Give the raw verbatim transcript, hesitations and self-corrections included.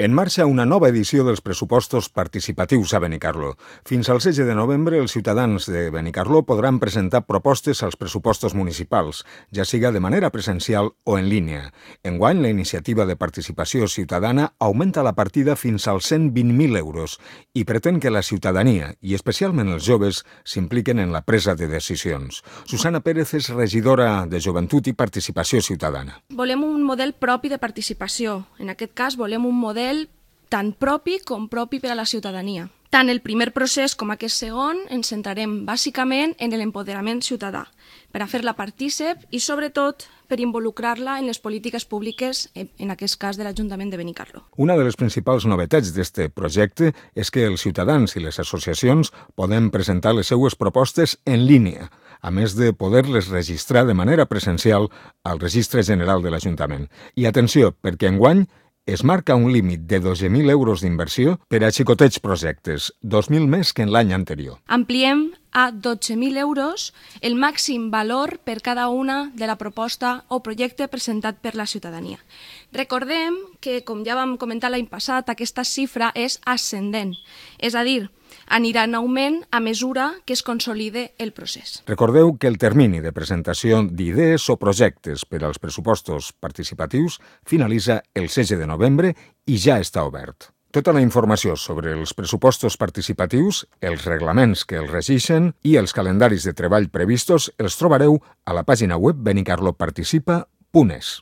En marxa una nova edició dels pressupostos participatius a Benicarló. Fins al setze de novembre, els ciutadans de Benicarló podran presentar propostes als pressupostos municipals, ja siga de manera presencial o en línia. Enguany, la iniciativa de participació ciutadana augmenta la partida fins als cent vint mil euros i pretén que la ciutadania, i especialment els joves, s'impliquen en la presa de decisions. Susana Pérez és regidora de Joventut i Participació Ciutadana. Volem un model propi de participació. En aquest cas, volem un model tant propi com propi per a la ciutadania. Tant el primer procés com aquest segon ens centrarem bàsicament en l'empoderament ciutadà, per a fer-la partícip i, sobretot, per involucrar-la en les polítiques públiques, en aquest cas de l'Ajuntament de Benicarló. Una de les principals novetats d'aquest projecte és que els ciutadans i les associacions poden presentar les seues propostes en línia, a més de poder-les registrar de manera presencial al Registre General de l'Ajuntament. I atenció, perquè enguany es marca un límit de dotze mil euros d'inversió per a xicotets projectes, dos mil més que en l'any anterior. Ampliem a dotze mil euros el màxim valor per cada una de la proposta o projecte presentat per la ciutadania. Recordem que, com ja vam comentar l'any passat, aquesta xifra és ascendent, és a dir, anirà en augment a mesura que es consolide el procés. Recordeu que el termini de presentació d'idees o projectes per als pressupostos participatius finalitza el setze de novembre i ja està obert. Tota la informació sobre els pressupostos participatius, els reglaments que els regeixen i els calendaris de treball previstos els trobareu a la pàgina web benicarloparticipa punt es.